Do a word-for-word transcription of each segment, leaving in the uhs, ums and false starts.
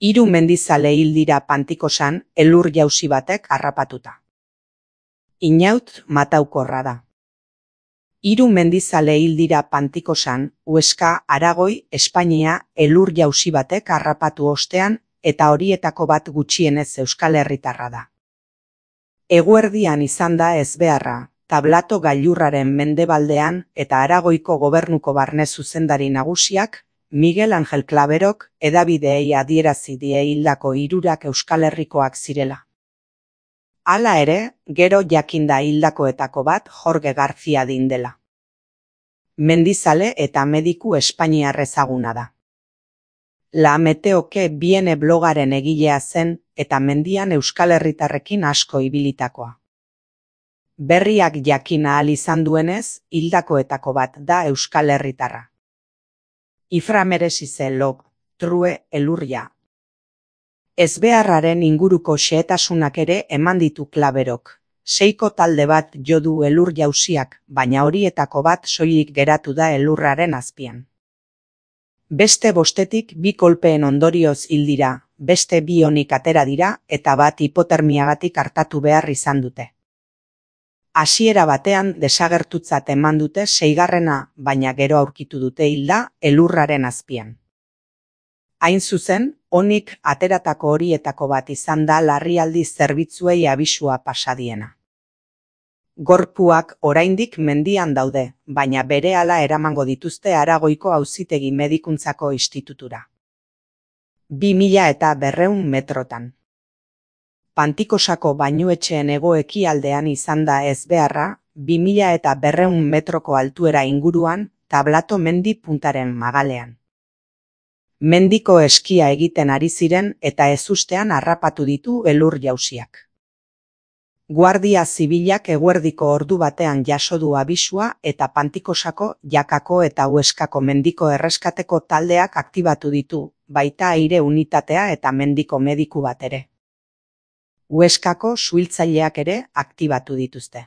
Hiru mendizale hil dira Pantikosan elur-jausi batek harrapatuta. Inaut mataukorra da. Hiru mendizale hil dira Pantikosan, Huesca, Aragoi, Espainia elur-jausi batek harrapatu ostean eta horietako bat gutxienez Euskal Herritarra da. Eguerdian izan da ezbeharra, Tablato gailurraren mendebaldean eta Aragoiko gobernuko barne zuzendari nagusiak, Miguel Angel Claverok, hedabideei adierazi die hildako hirurak Euskal Herrikoak zirela. Hala ere, gero jakinda hildakoetako bat Jorge García dela. Mendizale eta mediku espainiar ezaguna da. La Meteoke Biene blogaren egilea zen eta mendian Euskal Herritarrekin asko ibilitakoa. Berriak jakin ahal izan duenez, hildakoetako bat da Euskal Herritarra. Iframeresize log, true elurria. Ezbeharraren inguruko xehetasunak ere eman ditu Claverok. Seiko talde bat jo du elur jausiak, baina horietako bat soilik geratu da elurraren azpian. Beste bostetik bi kolpeen ondorioz hil dira, beste bi onik atera dira eta bat hipotermiagatik artatu behar izan dute. Hasiera batean desagertutzat eman dute seigarrena, baina gero aurkitu dute hilda elurraren azpian. Hain zuzen, onik ateratako horietako bat izan da larrialdi zerbitzuei abisua pasadiena. Gorpuak oraindik mendian daude, baina berehala eramango dituzte Aragoiko Auzitegi Medikuntzako Institutura. Bi mila eta berrehun metrotan. Pantikosako bainuetxeen hego-ekialdean izan da ezbeharra, bi mila eta berrehun metroko altuera inguruan, Tablato mendi puntaren magalean. Mendiko eskia egiten ari ziren eta ezustean harrapatu ditu elur jausiak. Guardia Zibilak eguerdiko ordu batean jaso du abisua eta Pantikosako, Jakako eta Huescako mendiko erreskateko taldeak aktibatu ditu, baita aire unitatea eta mendiko mediku bat ere. Huescako suhiltzaileak ere aktibatu dituzte.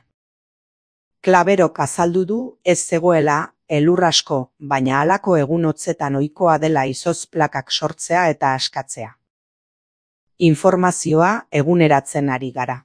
Claverok azaldu du ez zegoela elur asko, baina halako egun hotzetan ohikoa dela izotz plakak sortzea eta askatzea. Informazioa eguneratzen ari gara.